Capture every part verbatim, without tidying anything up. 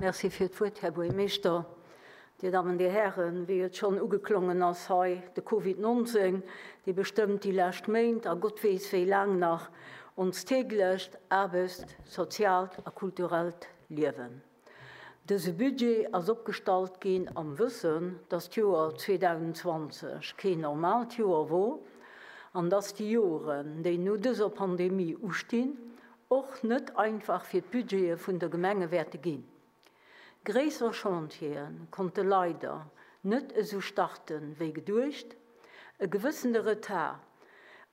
Merci fir d'Wuert, Här Buergermeeschter. Dir Dammen, Dir Hären, wéi et schonn ugeklongen ass hei, de Covid nonzéng, dee bestëmmt déi lescht Méint a Gott weess wéi laang nach onst täglecht Aarbecht-, soziaalt a kulturellt Liewen. Dëse Budget ass opgestallt ginn am Wëssen, dass d'Joer zweedausendzwanzeg keen normaalt Joer wor an dass déi Joren, déi no dëser Pandemie ustinn, och net einfach fir d'Budgete vun der Gemenge wäerte ginn. Gréisser Chantiere konnte leider net esou starten, wéi geduecht. E gewëssene Retard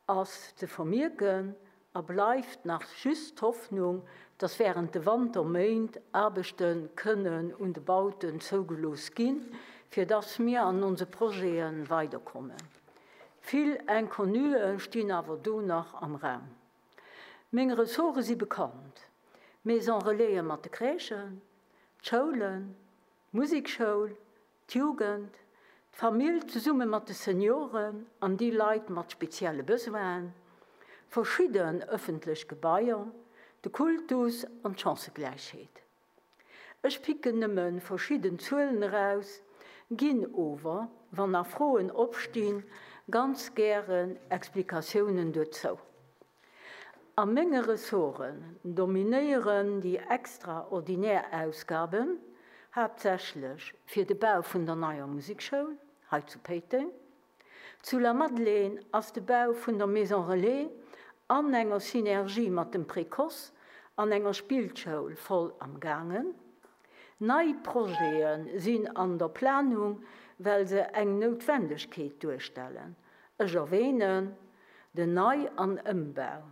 ass ze vermierken a bleift nach just d'Hoffnung, dass während de Wanterméint Aarbechte kënnen un de Bauten zougelooss ginn, fir dass mir an onse Projete weiderkommen. Vill Inconnuen stinn awer do nach am Raum. Meng Ressorte si bekannt. Maison Relaisen mat de Crèchen, d'Schoulen, d'Musekschoul, d'Jugend, d'Famill zesumme mat de Senioren an déi Leit mat spezielle Besoinen, verschidden ëffentlech Gebaier, de Kultus an d'Chancëgläichheet. Ech picken nëmme verschidden Zuelen eraus, ginn ower, wann nach Froen opstinn, ganz gären Explikatiounen dozou. A menge Ressorten dominéieren déi extraordinär Ausgaben, haaptsächlech fir de Bau vun der neier Musekschoul hei zu Péiteng. Zu Lamadelaine ass de Bau vun der Maison Relais an enger Synergie mat dem Précoce an enger Spillschoul voll am gaangen. Nei Projete sinn an der Planung, well se eng Noutwendegkeet duerstellen. Ech erwähnen den Nei- an Ëmbau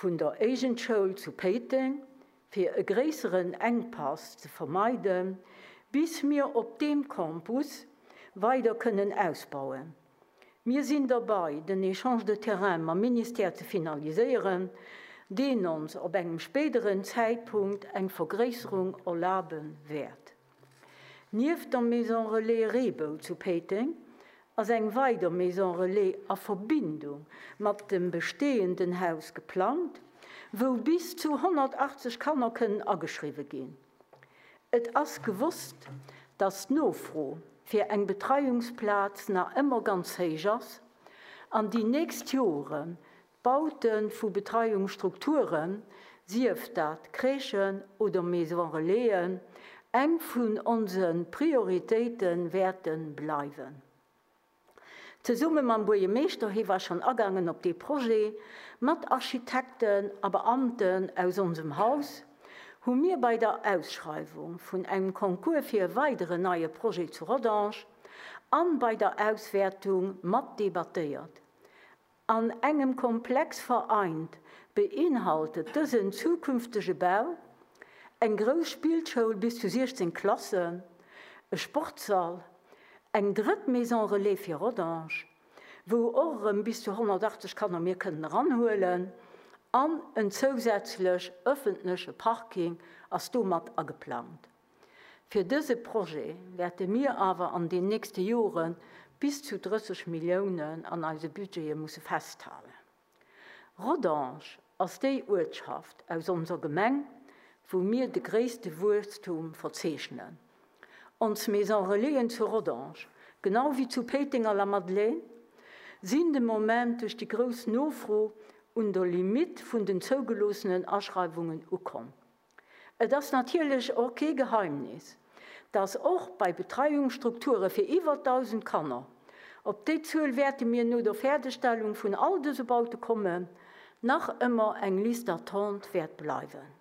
vun der Éigendschoul zu Péiteng, fir e gréisseren Enkpass ze vermeiden, bis mir op deem Campus weider kënnen ausbauen. Mir sinn derbäi, den Échange de terrain mam Ministère ze finaliséieren, deen ons op engem spéideren Zäitpunkt eng Vergréisserung erlabe wäert. Nieft der Maison Relais Reebou zu Péiteng ass eng weider Maison Relais a Verbindung mat dem bestehenden Haus geplangt, wou bis zu honnertachtzeg Kanner kënnen ageschriwwe ginn. Et ass gewosst, dass d'Nofro fir eng Betreiungsplaz nach ëmmer ganz héich ass an déi nächst Joren d'Baute vu Betreiungsstrukturen, sief dat Crèchen oder Maison Relaisen, eng vun onse Prioritéite wäerte bleiwen. Zesumme mam Buergermeeschter, hie war schonn agaangen op dee Projet, mat Architekten a Beamten aus onsem Haus, hu mir bei der Ausschreiwung vun engem Concours fir e weideren neie Projet zu Rodange an bei der Auswäertung mat debattéiert. An engem Komplex vereint beinhaltet dësen zukünftege Bau eng grouss Spillschoul bis zu siechzéng Klassen, e Sportssall, eng drëtt Maison Relais fir Rodange, wou och erëm bis zu honnertachtzeg Kanner mir kënnen eranhuelen, an en zousätzlech ëffentleche Parking ass domat ageplangt. Fir dëse Projet wäerte mir awer an den nächste Jore bis zu drësseg Milliounen an eise Budgete musse festhalen. Rodange ass déi Uertschaft aus onser Gemeng, wou mir de gréisste Wuesstum verzeechnen. Ons Maison Relaisen zu Rodange, genau wéi zu Péiteng a Lamadelaine, sinn de Moment duerch déi grouss Nofro un der Limitt vun den zougeloossenen Aschreiwungen ukomm. Et ass natierlech och kee Geheimnis, dass och bei Betreiungsstrukture fir iwwer dausend Kanner, op déi Zuel wäerte mir no der Fäerdegstellung vun all dëse Baute kommen, nach ëmmer eng Liste d'attente wäert bleiwen.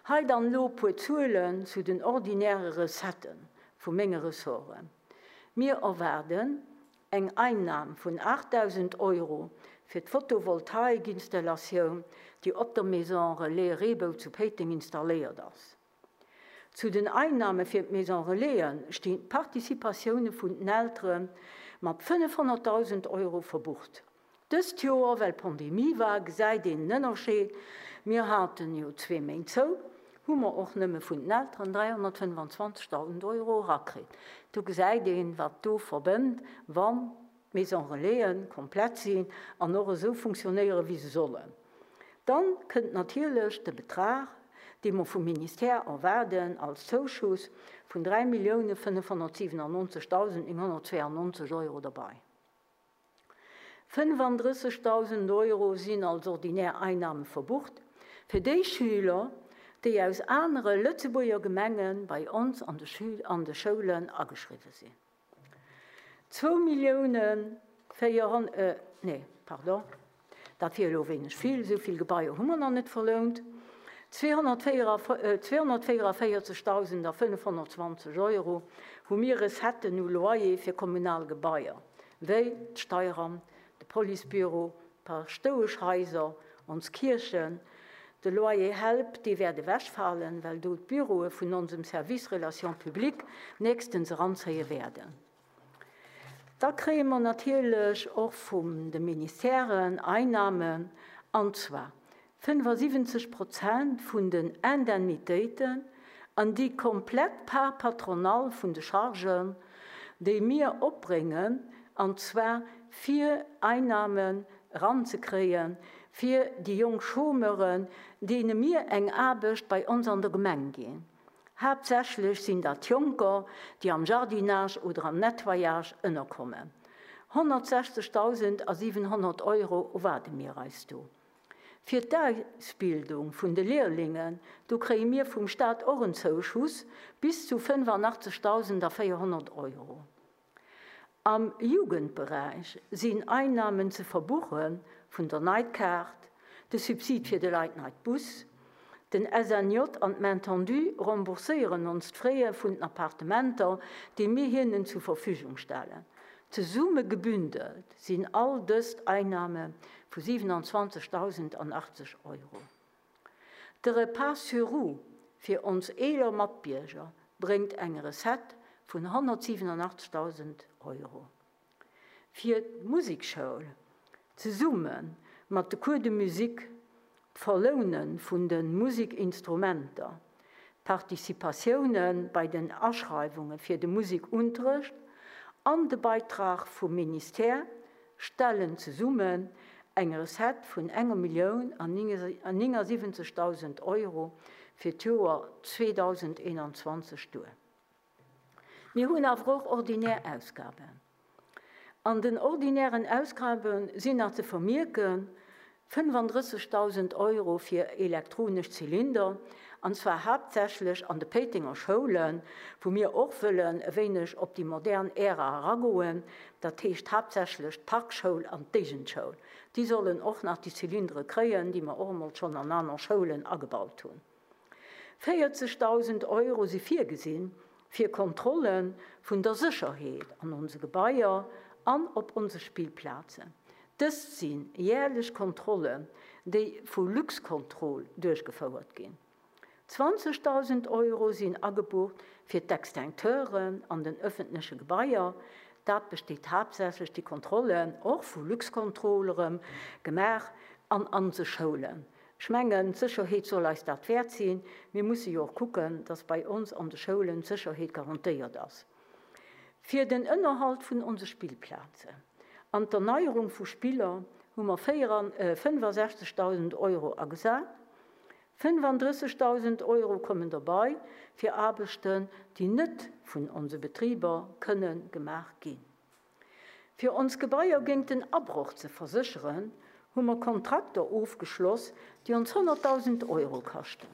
Hei dann elo puer Zuelen zu den ordinäre Recettë vu menge Ressorten. Mir erwaarden eng Einnam vun aachtdausend Euro fir d'Photovoltaikinstallatioun, déi op der Maison Relais Reebou zu Péiteng installéiert ass. Zu den Einnahme fir d'Maison Relaisen stinn d'Participatioune vun den Eltere mat fënnefhonnertdausend Euro verbucht. Dëst Joer, well Pandemie war, gesäit een den Ënnerscheed, mir haten jo zwee Méint zou, hu mer och nëmme vun den Elteren dräihonnertfënnfanzwanzegdausend Euro erakritt. Do gesäit een, wat do verbënnt, wann d'Maison Relaisen komplett sinn an och esou funktionéieren, wéi se sollen. Dann kënnt natierlech de Betrag, dee mer vum Ministère erwaarden als Zouschuss vun dräi Millioune fënnefhonnertsiwenannonzegdausend nénghonnertzweeannonzeg Euro derbei. Fënnefandrëssegdausend Euro sinn als ordinär Einnahme verbucht fir déi Schüler, déi aus anere Lëtzebuerger Gemenge bei ons an de Schül an de Schoulen ageschriwwe sinn. Zwou Millioune véierhon nee, pardon, dat wier elo wéineg vill, esou vill Gebaier hu mer nach net verlount, zweehonnertvéiervéierzegdausend a fënnefhonnertzwanzeg Euro hu mir Recetten u Loyer fir kommunal Gebaier, wéi d'Steieramt, de Policebüro, d'Paschtoueschhaiser, ons Kierchen. De Loyer Help, dee wäert ewechfalen, well do d'Büroe vun onsem Service Relations publiques nächstens eranzéie wäerden. Da kréie mer natierlech och vum de Ministèren Einnahmen, an zwar fënnefasiwwenzeg Prozent vun den Indemnitéiten an déi komplett Part patronale vun de Chargen, déi mir opbréngen, an zwar fir Einnahmen eranzekréien fir déi jonk Chômeuren, deene mir eng Aarbecht bei ons an der Gemeng ginn. Haaptsächlech sinn dat Jonker, déi am Jardinage oder am Nettoyage ënnerkommen. honnertsechzegdausend a siwenhonnert Euro erwaarde mir eis do. Fir d'Ausbildung vun de Lehrlingen, do kréie mir vum Staat och en Zouschuss bis zu fënnefannachtzegdausend a véierhonnert Euro. Am Jugendberäich sinn Einnahmen ze verbuche vun der Night-Kaart, de Subsid fir de Late Night Bus, den S N J an d'Main Tendue rembourséieren ons d'Fraie vun den Appartementer, déi mir hinnen zur Verfügung stellen. Zesumme gebündelt sinn all dëst Einnahme vu siewenundzwanzigtausend an achtzig Euro. De Repas sur roues fir ons eeler Matbierger bréngt eng Recette vun honnertsiewenundachtzigtausend Euro. Fir d'Musekschoul zesumme mat de Cours de musique, d'Verloune vun de Musikinstrumenter, Participatioune bei den Aschreiwunge fir de Musikunterrecht an de Beitrag vum Ministère stellen zesummen eng Recette vun enger Millioun an néngasiwwenzegtausend Euro fir d'Joer zweedausendeenanzwanzeg duer. Mir hunn awer och ordinär Ausgaben. An den ordinären Ausgabe sinn nach ze vermierken fënnefundrëssigtausend Euro fir elektronesch Zylinder, an zwar haaptsächlech an de Péitenger Schoulen, wou mir och wëllen e wéineg op déi modern Ära eragoen, dat heescht haaptsächlech d'Parkschoul an d'Déigendschoul. Déi sollen och nach déi Zylindere kréien, déi mer och emol schonn an aner Schoulen agebaut hunn. vierzigtausend Euro si virgesinn fir Kontrolle vun der Sécherheet an onse Gebaier an op onse Spillplazen. Dëst sinn jährlech Kontrollen, déi vu Luxcontrol duerchgefouert ginn. zwanzigtausend Euro sinn agebucht fir d'Extincteuren an den öffentleche Gebaier. Dat besteet haaptsächlech déi Kontrollen och vu Luxcontrol gemaach an an se Schoulen. Ech mengen, d'Sécherheet soll eis dat wäert sinn. Mir musse jo och kucken, dass bei ons an de Schoulen d'Sécherheet garantéiert ass. Fir den Ënnerhalt vun onse Spillplazen an d'Erneuerung vu Spiller hu mer fënnefundsiechzigtausend Euro agesat. fënnefundrëssigtausend Euro kommen dabei fir Aarbechten, déi net vun onse Betriber kënne gemaach ginn. Fir ons Gebaier géint den Abroch ze versécheren, hu mer Kontrakter ofgeschloss, déi ons honnerttausend Euro kaschten.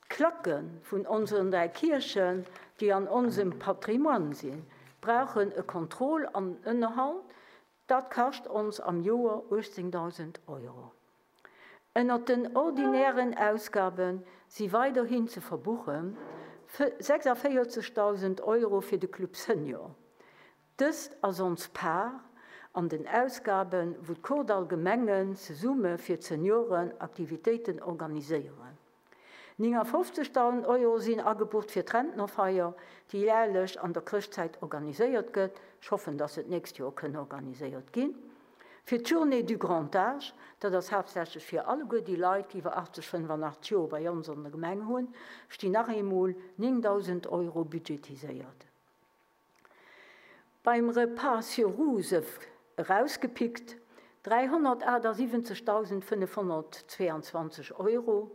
D'Klacke vun unseren dräi Kierchen, déi an onsem Patrimoine sinn, brauchen e Kontroll an Ënnerhalt. Dat kascht ons am Joer achtzehntausend Euro. Ënner den ordinären Ausgaben si weiderhin ze verbuchen sechsundvierzigtausend Euro fir de Club Senior. Dëst ass ons Paar an den Ausgaben, wou d'Kordall Gemengen zesumme fir d'Senioren Aktivitéiten organiséieren. neunundfünfzigtausend Euro sinn agebucht fir d'Rentnerfeier, déi jährlech an der Chrëschtzäit organiséiert gëtt. Ech hoffen, dass et nächst Joer kënne organiséiert ginn. Fir d'Journée du Grand Âge, dat ass haaptsächlech fir alleguer déi Leit, déi iwwer achtzig, fënnefundachtzig Joer bei ons an der Gemeng hunn, stinn nach eemol neuntausend Euro budgetiséiert. Beim Repas sur roues rausgepickt dreihundertachtundsiebzigtausendfünfhundertzweiundzwanzig Euro,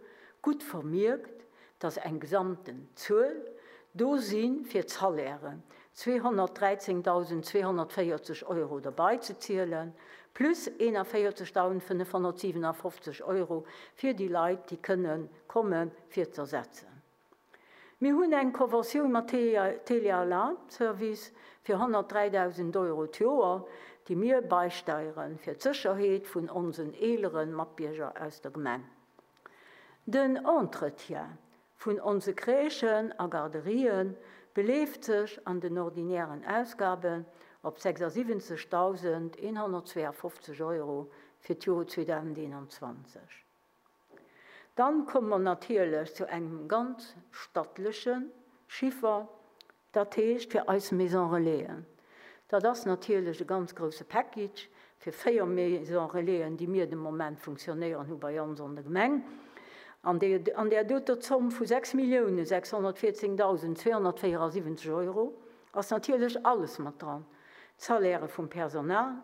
Gutt vermierkt, dass eng gesamten Zuel do si fir d'Salairen, zweehonnertdräizéngtausendzweehonnertvéierzeg Euro derbei ze zielen, plus eenavéierzegtausendfënnefhonnertsiwenafofzeg Euro fir déi Leit, déi kënne komme fir z'ersetzen. Mir hunn eng Conventioun mat Tele-Alarm Service fir honnertdräidausend Euro d'Joer, déi mir beisteiere fir d'Sécherheet vun onsen eelere Matbierger aus der Gemeng. Den Entretien vun onse Crèchen a Garderien beleeft sech an den ordinären Ausgaben op sechsasiwwenzegdausendeenhonnertzweeafofzeg Euro fir d'Joer zweedausendeenanzwanzeg. Dann komme mer natierlech zu engem ganz stattleche Chiffer, dat heescht fir eis Maison Relaisen. Dat ass natierlech e ganz grousse Package fir véier Maison Relaisen, déi mir de Moment funktionéieren hu bei ons an der Gemeng. An an där doter Zomm vu sechs Millioune sechshonnertvierzéngtausendzweehonnertvéierasiwwenzeg Euro ass natierlech alles mat dran, d'Salairë vum Personal,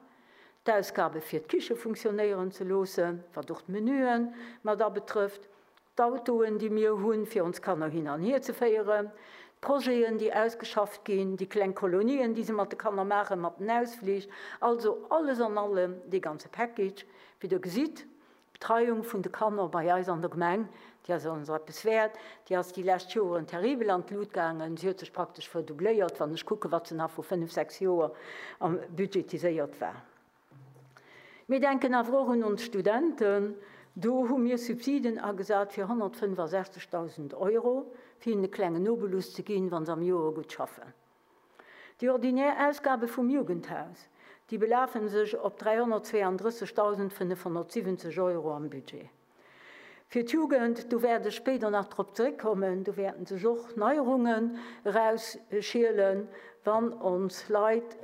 d'Ausgabe fir d'Kiche funktionéieren ze loossen, wat och d'Menüe mat abetrëfft, d'Autoen, déi mir hunn, fir ons Kanner hin an hier ze féieren, d'Projeten, déi ausgeschafft ginn, déi kleng Kolonien, déi se mat de Kanner maachen, mat den Ausflich, also alles an allem dee ganze Package. Wéi Der gesitt, d'Betreiung vun de Kanner bei eis an der Gemeng, déi ass ons eppes wäert, déi ass déi lescht Joren terribel an d'Lut gaangen, si huet sech praktesch verdoubléiert, wann ech kucken, wat se nach vu fënnef, sechs Joer budgetiséiert war. Mir denken awer och un ons Studenten. Do hu mir Subsiden agesat fir honnertfënnefasechzegdausend Euro, fir hinnen e klengen Obolus ze ginn, wa se am Joer gutt schaffen. Déi ordinär Ausgabe vum Jugendhaus, déi belafe sech op dräihonnertzweeandrëssegdausendfënnefhonnertsiwwenzeg Euro am Budget. Fir d'Jugend, do wäert ech spéider nach drop zeréckkommen, do wäerten sech och Neierungen erausschielen, wann ons Leit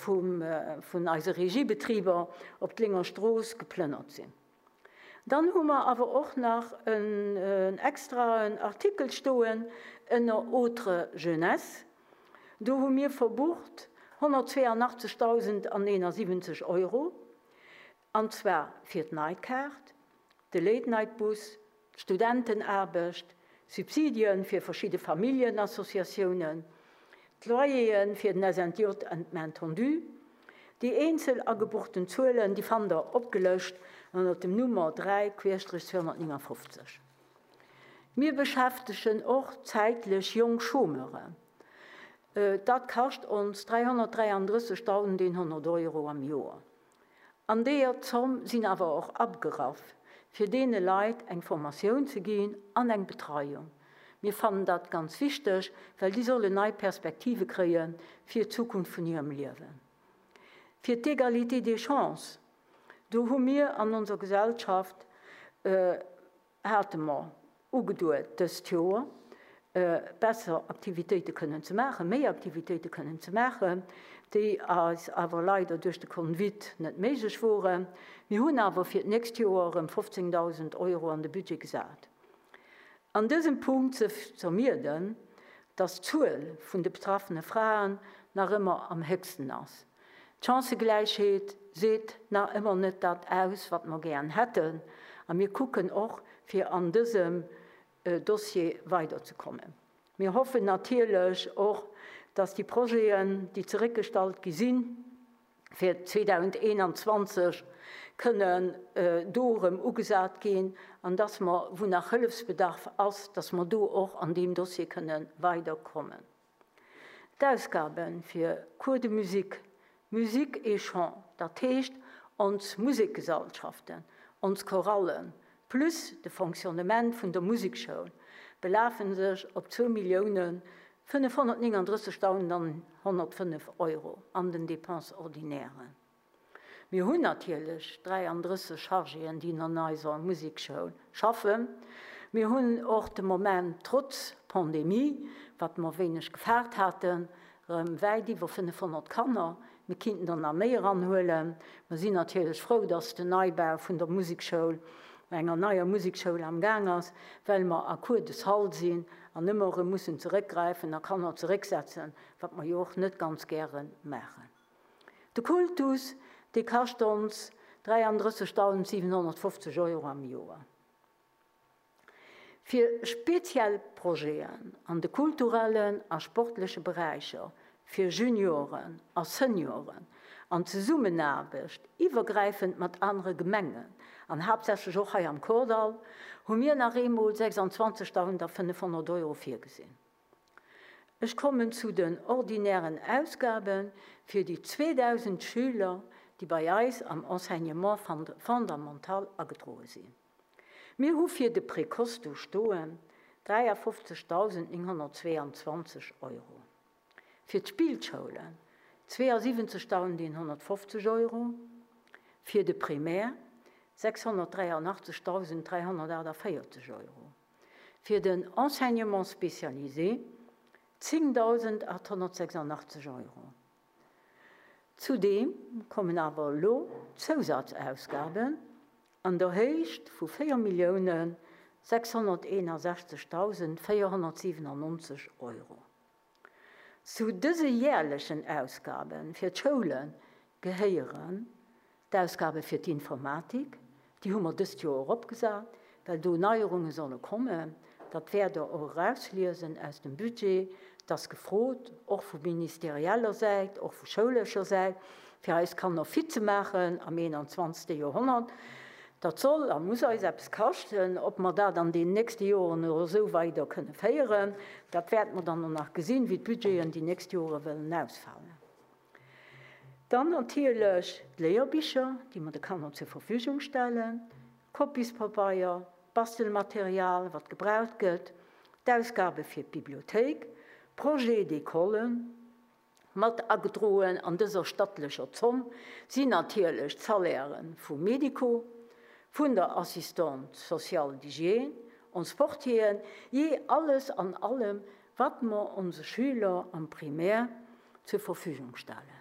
vum, vun eise Regiebetriber op d'Lénger Strooss geplënnert sinn. Dann hu mer awer och nach en extraen Artikel stoen ënner Autres jeunesse. Do hu mir verbucht honnertzweeanachtzegdausendeenasiwwenzeg Euro, an zwar fir d'Nightcard, de Late-Night-Bus, d'Studentenaarbecht, Subsidien fir verschidde Familljenassociatiounen, d'Loyeren fir den S N J an d'Main tendue. Déi eenzel agebuchten Zuelen, déi fannt der opgelëscht ënner dem Nummer dräi Querstrich zweehonnertneunundfünfzig. Mir beschäftegen och zäitlech jonk Chômeuren. Dat kascht ons dräihonnertdräiandrëssegdausendeenhonnert Euro am Joer. An deeër Zomm sinn awer och abgeraff, fir deene Leit eng Formatioun ze ginn an eng Betreiung. Mir fannen dat ganz wichteg, well déi sollen nei Perspektive kréie fir d'Zukunft vun hirem Liewen. Fir d'Égalité des chances, do hu mir an onser Gesellschaft, hate mer ugeduet dëst Joer, besser Aktivitéite kënnen ze maachen, méi Aktivitéite kënnen ze maachen, déi eis awer leider duerch de Covid net méiglech woren. Mir hunn awer fir d'nächst Joer erëm fofzéngdausend Euro an de Budget gesat. An dësem Punkt ze vermierden, dass d'Zuel vun de betraffene Fraen nach ëmmer am héchsten ass. D'Chancëgläichheet seet nach ëmmer net dat aus, wat mer gären hätten, a mir kucken och, fir an dësem Dossier weiderzekommen. Mir hoffen natierlech och, dass déi Projeten, déi zeréckgestallt gi sinn, fir zweedausendeenanzwanzeg kënnen do erëm ugesat ginn an dass mer, wou nach Hëllefsbedarf ass, dass mer do och an deem Dossier kënne weiderkommen. D'Ausgabe fir Cours de musique, Musique et chant, dat heescht ons Musekgesalschaften, ons Chorallen, plus de Fonctionnement vun der Musekschoul, belafe sech op zwou Milliounen fënnefhonnertnénganddrëssegdausendhonnertfënnef Euro an den Dépenses ordinairen. Mir hunn natierlech dräiandrësseg Chargéen, déi an eiser Musekschoul schaffen. Mir hunn och de Moment, trotz Pandemie, wat mer wéineg gefaart haten, erëm wäit iwwer fënnefhonnert Kanner. Mir kinnten der nach méi eranhuelen. Mer sinn natierlech frou, dass den Neibau vun der Musekschoul, enger neier Musekschoul am Gaang ass, well mer à court de salle sinn an ëmmer erëm mussen zeréckgräifen a Kanner zerécksetzen, wat mer jo och net ganz gäre maachen. De Kultus, dee kascht ons dräiandrëssegdausendsiwenhonnertfofzeg Euro am Joer. Fir speziell Projeten an de kulturellen a sportleche Beräicher fir Junioren a Senioren an Zesummenaarbecht iwwergräifend mat anere Gemengen an haaptsächlech och hei am Kordall hu mir nach eemol sechsandzwanzegdausendfënnefhonnert Euro virgesinn. Ech kommen zu den ordinären Ausgabe fir déi zweedausend Schüler, déi bei eis am Enseignement fondamental agedroe sinn. Mir hu fir de Précoce do stoen dräiafofzegdausendnénghonnertzweeanzwanzeg Euro, fir d'Spillschoulen zweeasiwwenzegdausendeenhonnertfofzeg Euro, fir de Primaire sechshonnertdräianachtzegdausend dräihonnertaachtavéierzeg Euro, fir den Enseignement spécialisé zéngdausendachthonnertsechsandachtzeg Euro. Zudeem kommen awer elo Zousazausgaben an der Héicht vu véier Milliounen sechshonnerteenundsechzegdausend véierhonnertsiwenannonzeg Euro. Zu dëse järlechen Ausgabe fir d'Schoule gehéieren d'Ausgabe fir d'Informatik, déi hu mer dëst Joer eropgesat, well do Neierunge solle kommen. Dat wäert Der och erausliesen aus dem Budget. Et ass gefrot, och vu ministerieller Säit, och vu schoulescher Säit, fir eis Kanner fit ze maachen am eenanzwanzegste Joerhonnert. Dat soll a muss eis eppes kaschten. Ob mer dat an den nächste Joren och esou weider kënne féieren, dat wäerte mer dann och nach gesinn, wéi d'Budgeten déi nächst Jore wëllen ausfalen. Dann natierlech d'Léierbicher, déi mer de Kanner zur Verfügung stellen, Kopiespabeier, Bastelmaterial, wat gebraucht gëtt, d'Ausgabe fir d'Bibliothéik, Projets d'école. Mat agedroen an dëser stattlecher Zomm sinn natierlech d'Salairë vum Medico, vun der Assistante sociale d'hygiène, ons Portieren, jee alles an allem, wat mer onse Schüler am Primaire zur Verfügung stellen.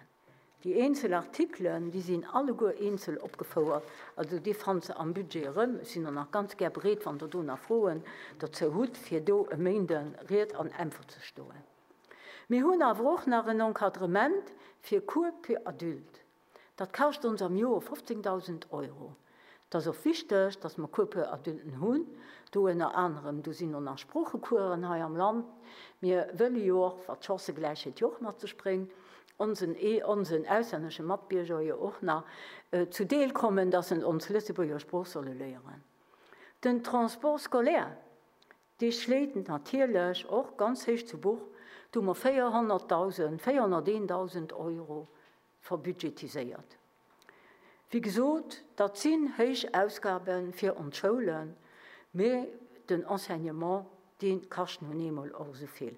Déi eenzel Artikelen, déi sinn alleguer eenzel opgefouert, also déi fannt se am Budget erëm. Ech sinn och nach ganz gär bereet, wann Der do nach Froen dozou hutt, fir do e Méinde Ried an Äntwert ze stoen. Mir hunn awer och nach en Encadrement fir Cours pour adultes. Dat kascht ons am Joer fofzéngdausend Euro. Et ass och wichteg, dass mer Cours pour adulten hunn, do ënner anerem, do sinn och nach Sproochecoursen hei am Land. Mir wëlle jo och, wat d'Chancëgläichheet jo och mat sech bréngt, onsen onsen auslännesche Matbierger jo och nach zu Deel kommen, dass se ons Lëtzebuerger Sprooch solle léieren. Den Transport scolaire, dee schléit natierlech och ganz héich zu Buch, do hu mer véierhonnertdausend, véierhonnerteendausend Euro verbudgetiséiert. Wéi gesot, dat sinn héich Ausgabe fir ons Schoulen, mee den Enseignement, dee kascht nun eemol och esou vill.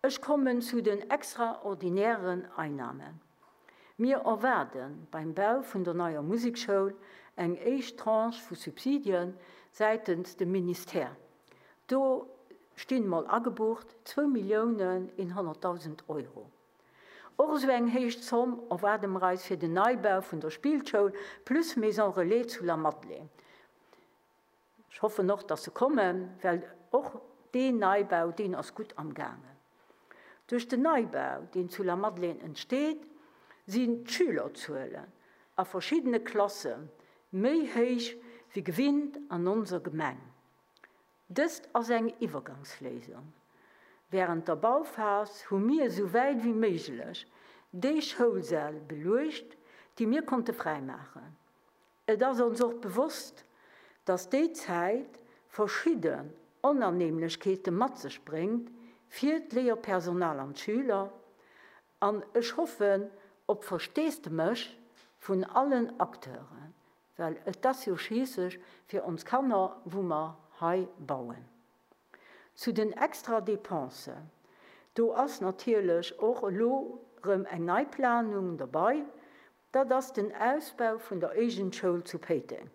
Ech kommen zu den extraordinären Einnahmen. Mir erwaarde beim Bau vun der neier Musekschoul eng éischt Tranche vu Subsidien säitens dem Ministère. Do stinn mol agebucht zwou Milliounen eenhonnertdausend Euro. Och esou eng héich Zomm erwaarde mer eis fir den Neibau vun der Spillschoul plus Maison Relais zu Lamadelaine. Ech hoffen och, dass se kommen, well och deen Neibau, deen ass gutt am gaangen. Duerch den Neibau, deen zu Lamadelaine entsteet, sinn d'Schülerzuelen a verschiddene Klasse méi héich wéi gewinnt an onser Gemeng. Dëst ass eng Iwwergangsléisung. Wärend der Bauphas hu mir esou wäit wéi méiglech déi Schoulsäll beluecht, déi mir konnte fräimaachen. Et ass ons och bewosst, dass déi Zäit verschidden Onannehmlechkeete mat sech bréngt fir d'Léierpersonal an d'Schüler, an ech hoffen op Versteesdemech vun allen Acteuren, well et ass jo schliisslech fir ons Kanner, wou mer hei bauen. Zu den extra Dépensen, do ass natierlech och elo rëm eng nei Planung derbei, dat ass den Ausbau vun der Éigent-Schoul zu Péiteng.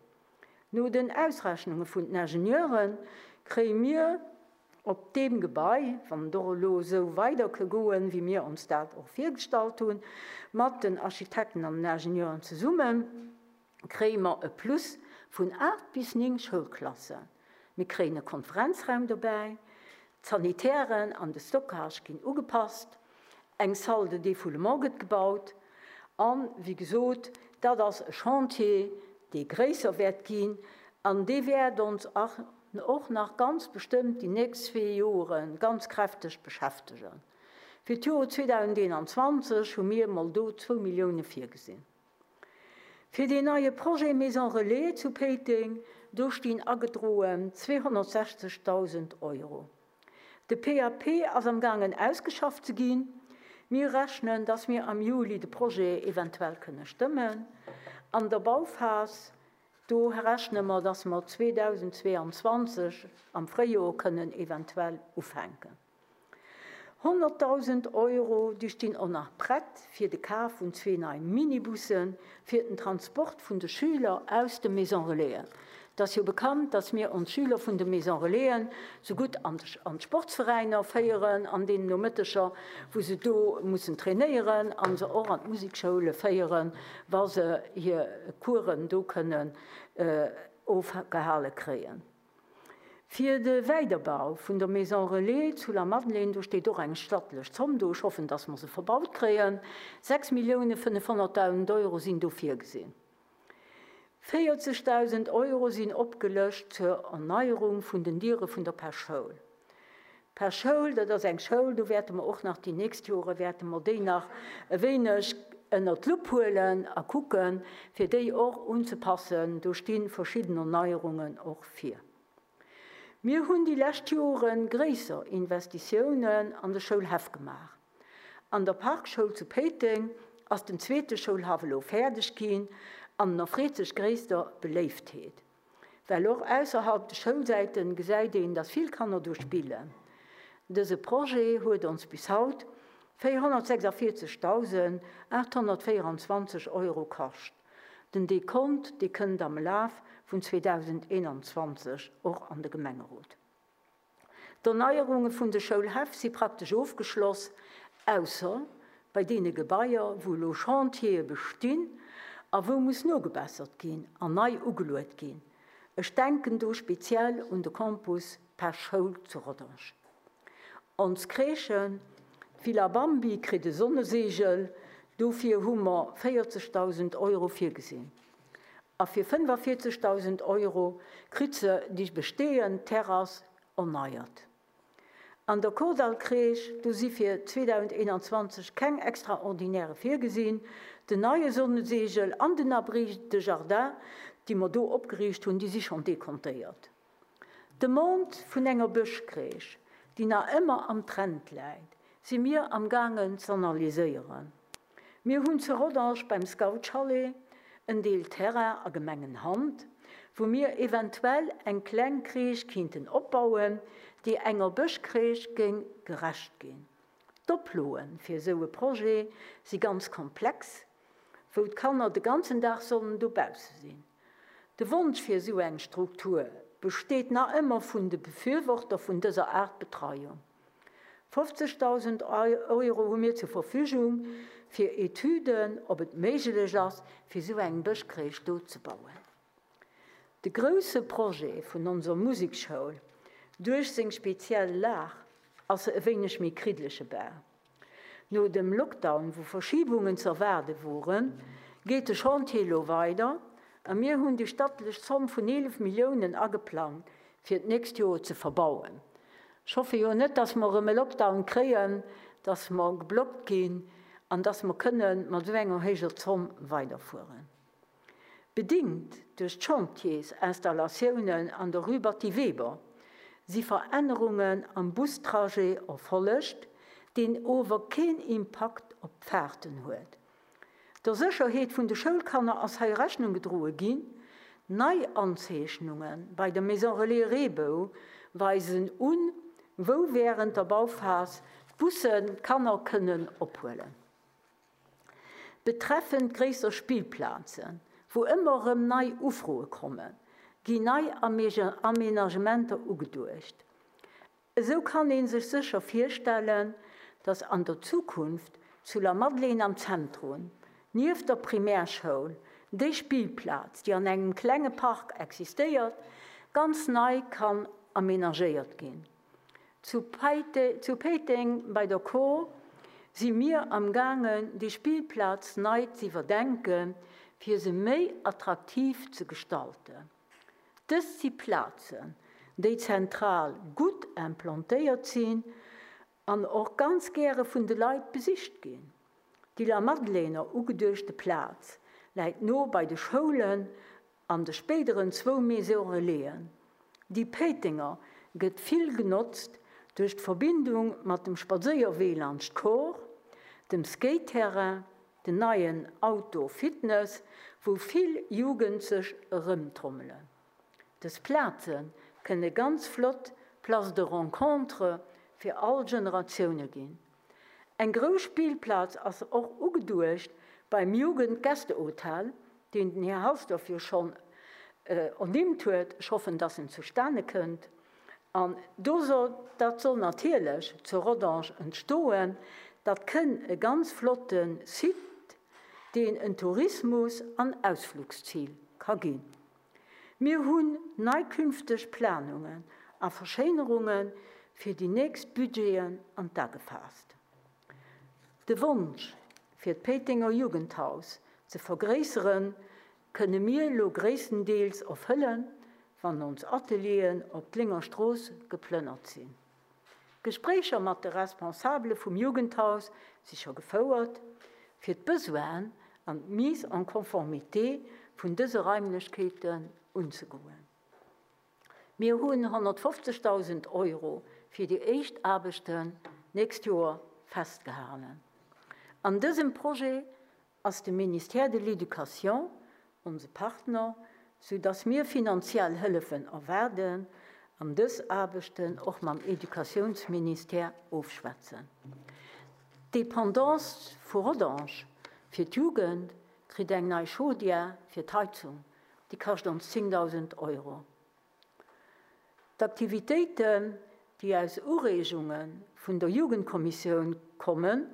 No den Ausrechnunge vun den Ingenieure kréie mir op deem Gebai, wann et och elo esou weider ke goen, wéi mir ons dat och virgestallt hunn, mat den Architekten an den Ingenieuren zesummen, kréie mer e Plus vun aacht bis néng Schoulklassen. Mir kréien e Konferenzraum dobäi, d'Sanitären an de Stockage ginn ugepasst, eng Salle de défoulement gëtt gebaut an, wéi gesot, dat ass e Chantier, dee gréisser wäert ginn an dee wäert ons och nach ganz bestëmmt déi nächst zwee Jore ganz kräfteg beschäftegen. Fir d'Joer zweedausendeenanzwanzeg hu mir mol do zwou Millioune virgesinn. Fir deen neie Projet Maison Relais zu Péiteng, do stinn agedroen zweehonnertsechzegdausend Euro. De P A P ass am gaangen ausgeschafft ze ginn. Mir rechnen, dass mir am Juli de Projet eventuell kënne stëmmen. An der Bauphas, do rechne mer, dass mer zweedausendzweeanzwanzeg am Fréijoer kënnen eventuell ufänken. Honnertdausend Euro, déi stinn och nach prett fir de Kaf vun zwee neie Minibussen fir den Transport vun de Schüler aus de Maison Relaisen. Et ass jo bekannt, dass mir ons Schüler vun de Maison Relaisen sou gutt an d'Sportsveräiner féieren, an deenen Nomëtteger, wou se do mussen trainéieren, an se och an d'Musekschoule féieren, wa se hir Coursen do kënnen ofgehale kréien. Fir de Weiderbau vun der Maison Relais zu La Madeleine, do steet och eng stattlech Zomm do, ech hoffen, dass mer se verbaut kréien, sechs Millioune fënnefhonnertdausend Euro sinn do virgesinn. Véierzegdausend Euro sinn opgelëscht zur Erneierung vun den Diere vun der Pesch-Schoul. Pesch-Schoul, dat ass eng Schoul, do wäerte mer och nach déi nächst Jore wäerte mer déi nach e wéineg ënner d'Lupp huelen a kucken, fir déi och unzepassen. Do sti verschidden Erneierungen och vir. Mir hunn déi lescht Jore gréisser Investitiounen an de Schoulhäff gemaach. An der Parkschoul zu Péiteng ass den zweete Schoulhaff elo fäerdeg ginn an en erfreet sech gréisster Beléiftheet. Well och ausserhalb de Schoulsäiten gesäit een, dass vill Kanner do spillen. Dëse Projet huet ons bis haut véierhonnertsechsundvierzegdausendachthonnertvierundzwanzeg Euro kascht. Den Dekont, dee kënnt am Laf vun zweedausendeenanzwanzeg och an de Gemengerot. D'Erneierunge vun de Schoulhäff si praktesch ofgeschloss, ausser bei deene Gebaier, wou elo Chantiere bestinn a wou muss nogebessert ginn an nei ugeluet ginn. Ech denken do speziell un de Campus Pesch-Schoul zu Rodange. Ons Crèchen, d'Villa Bambi kritt e Sonnesegel, dofir hu mer véierzegdausend Euro virgesinn. A fir fënnefundvierzegdausend Euro kritt se déi bestehend Terrass erneiert. An der Kordall-Crèche, do si fir zweedausendeenanzwanzeg keng extraordinäre virgesinn. Den neie Sonnesegel an den Abri de Jardin, déi mer do opgeriicht hunn, déi si schonn dekontéiert. D'Demande vun enger Bëschcrèche, déi nach ëmmer am Trend läit, si mir am gaangen ze analyséieren. Mir hunn zu Rodange beim Scout-Chalet en Deel Terrain a Gemengenhand, wou mir eventuell eng kleng Crèche kinnten opbauen, déi enger Bëschcrèche géing gerecht ginn. D'Oploen fir esou e Projet si ganz komplex, wou d'Kanner de ganzen Dag sollen dobausse sinn. De Wonsch fir esou eng Struktur besteet nach ëmmer vun de Befürworter vun dëser Art Betreiung. fofzegdausend Euro hu mir zur Verfügung fir Etüden, ob et méiglech ass, fir esou eng Bëschcrèche do ze bauen. De grousse Projet vun onser Musikschoul, duerch seng speziell Lag, ass e wéineg méi kriddleche Bau. No dem Lockdown, wou Verschiebungen ze erwaarde woren, geet de Chantier elo weider a mir hunn déi stattlech Zomm vun eelef Milliounen ageplangt, fir d'nächst Joer ze verbauen. Ech hoffe jo net, dass mer erëm e Lockdown kréien, dass mer geblockt ginn an dass mer kënnen mat esou enger héijer Zomm weiderfueren. Bedingt duerch d'Chantiersinstallatiounen an der Rue Batty Weber si Verännerungen am Bustrajet erfollegt, deen ower keen Impakt op d'Fahrten huet. Der Sécherheet vun de Schoulkanner ass hei Rechnung gedroe ginn. Nei Anzeechnunge bei der Maison Relais Reebou weisen un, wou während der Bauphas d'Bussen d'Kanner kënnen ophuelen. Betreffend gréisser Spillplazen, wou ëmmer erëm nei Ufroe kommen, ginn nei Aménagementer ugeduecht. Esou kann een sech sécher virstellen, dass an der Zukunft zu La Madeleine am Zentrum, nieft der Primärschoul, déi Spillplaz, déi an engem klenge Park existéiert, ganz nei kann aménagéiert ginn. Zu Péiteng bei der Kor si mir am gaangen, déi Spillplaz nei ze iwwerdenken, fir se méi attraktiv ze gestalten. Dëst si Plazen, déi zentral gutt implantéiert sinn an och ganz gäre vun de Leit besicht ginn. Déi Lamadelainer ugeduechte Plaz läit no bei de Schoulen an de spéideren zwou Maisons Relaisen. Déi Péitenger gëtt vill genotzt duerch d'Verbindung mat dem Spadséierwee laanscht d'Kor, dem Skate-Terrain, den neien Outdoor Fitness, wou vill Jugend sech erëmtrommelen. Dës Plaze kënne ganz flott Places de rencontre fir all Generatioune ginn. Eng grouss Spillplaz ass och ugeduecht beim Jugendgästehotel, deen den Här Halsdorf jo schonn ernimmt huet. Ech hoffen, dass en zustane kënnt. An do soll, dat soll natierlech zu Rodange entstoen, dat kënn e ganz flotte Site, deen en Tourismus an Ausflugszil ka ginn. Mir hunn nei künfteg Planungen a Verschéinerunge fir déi nächst Budgeten an d'A gefaasst. De Wonsch, fir d'Péitenger Jugendhaus ze vergréisseren, kënne mir elo gréisstendeels erfëllen, wann ons Atelieren op d'Lénger Strooss geplënnert sinn. Gespréicher mat de Responsabele vum Jugendhaus si scho gefouert, fir d'Besoinen an d'Mise en conformité vun dëse Raimlechkeeten unzegoen. Mir hunn honnertfofzegdausend Euro fir déi éischt Aarbechten d'nächst Joer festgehalen. An dësem Projet ass de Ministère de l'Éducation onse Partner, sou dass mir finanziell Hëllefen erwaarden an dës Aarbechten och mam Educatiounsministère ofschwätzen. D'Dependance vu Rodange fir d'Jugend kritt eng nei Chaudière fir d'Heizung, déi kascht ons zéngdausend Euro. D'Aktivitéiten, déi aus Ureegunge vun der Jugendkommissioun kommen,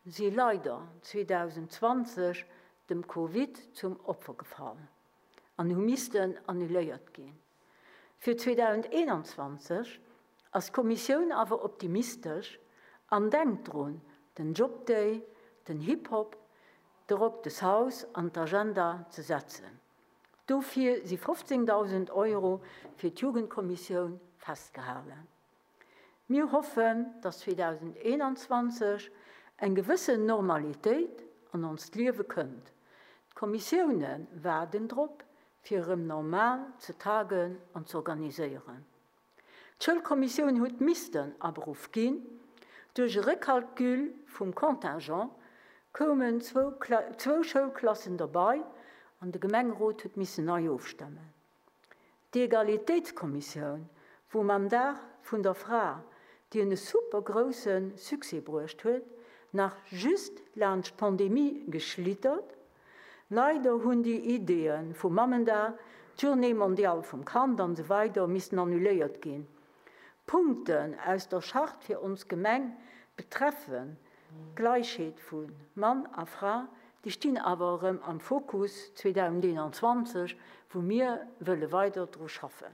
si leider zweedausendzwanzeg dem Covid zum Opfer gefall an hu missten annuléiert ginn. Fir zweedausendeenanzwanzeg ass d'Kommissioun awer optimistesch an denkt drun, den Job Day, den Hip Hop, de Rock des Haus an d'Agenda ze setzen. Dofir si fofzéngdausend Euro fir d'Jugendkommissioun festgehalen. Mir hoffen, dass zweedausendeenanzwanzeg eng gewëssen Normalitéit an onst Liewe kënnt. D'Kommissioune waarden drop, fir erëm normal ze tagen an z'organiséieren. D'Schoulkommissioun huet missten aberuff ginn. Duerch e Recalcul vum Contingent koumen zwou Schoulklassen derbei an de Gemengerot huet missen nei ofstëmmen. D'Egalitéitskommissioun, wou mam Dag vun der Fra, dien e super grousse Succès bruecht huet, nach just laanscht d'Pandemie geschlittert. Leider hunn déi Ideeë vum Mammendag, d'Journée mondiale vum Kand an esou weider missten annuléiert ginn. Punkten aus der Charte fir ons Gemeng betreffen d'Gläichheet vu Mann a Fra, déi stinn awer erëm am Fokus zweedausendeenanzwanzeg, wou mir wëlle weider dru schaffen.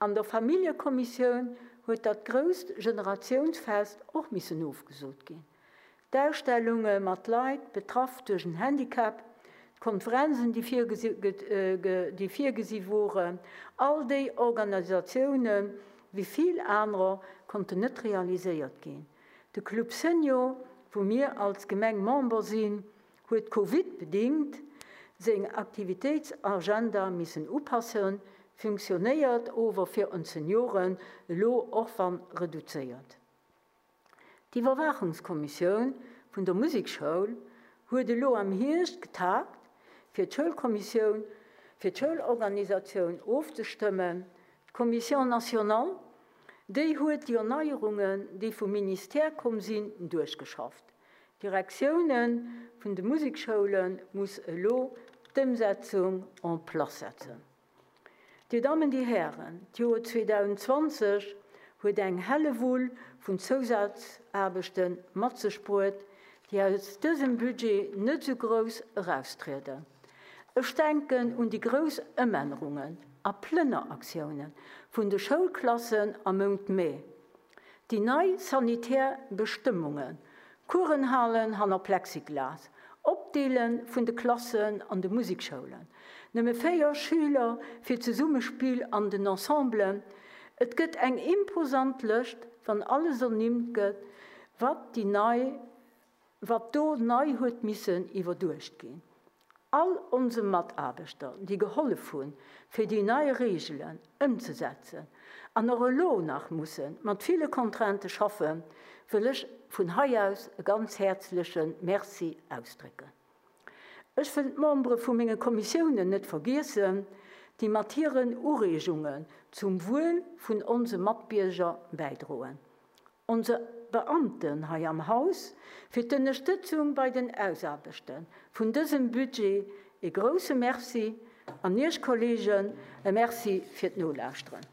An der Familljekommissioun huet dat grousst Generatiounsfest och missen ofgesot ginn. D'Ausstellunge mat Leit betraff duerch en Handicap, d'Konferenzen, déi virgesi woren, all déi Organisatioune wéi vill anerer konnten net realiséiert ginn. De Club Senior, wou mir als Gemeng Member sinn, huet Covid-bedingt seng Aktivitéitsagenda missen upassen, funktionéiert ower fir ons Senioren elo och wann reduzéiert. D'Iwwerwaachungskommissioun vun der Musekschoul huet elo am Hierscht getagt, fir d'Schoulkommissioun, fir d'Schoulorganisatioun ofzestëmmen. D'Commission nationale, déi huet déi Erneierungen, déi vum Ministère komm sinn, duerchgeschafft. D'Direktioune vun de Musekschoule muss elo d'Ëmsetzung en place setzen. Dir Dammen, Dir Hären, d'Joer zweedausendzwanzeg huet eng Hellewull vun Zousazaarbechte mat sech bruet, déi aus dësem Budget net esou grouss eraustrieden. Ech denken un déi grouss Ëmännerungen a Plënneraktioune vun de Schoulklassen am Mount Mee, déi nei sanitär Bestëmmungen, Coursen halen hanner Plexiglas, op Opdeele vun de Klassen an de Musikschoulen, nëmme véier Schüler fir d'Zesummespill an den Ensemblen, et gëtt eng imposant Lëscht, wann alles ernimmt gëtt, wat déi nei, wat do nei huet missen iwwerduecht ginn. All onse Mataarbechter, déi gehollef hunn, fir déi nei Reegelen ëmzesetzen an och elo nach musse mat ville Contraintë schaffen, wëll ech vun hei aus e ganz häerzleche Merci ausdrécken. Ech wëll d'Membere vu menge Kommissiounen net vergiessen, déi mat hiren Ureegungen zum Wuel vun onse Matbierger bäidroen. Onse Beamten hei am Haus fir d'Ënnerstëtzung bei den Ausaarbechte vun dësem Budget e grouse Merci an Iech Kolleegen e Merci fir d'Nolauschteren.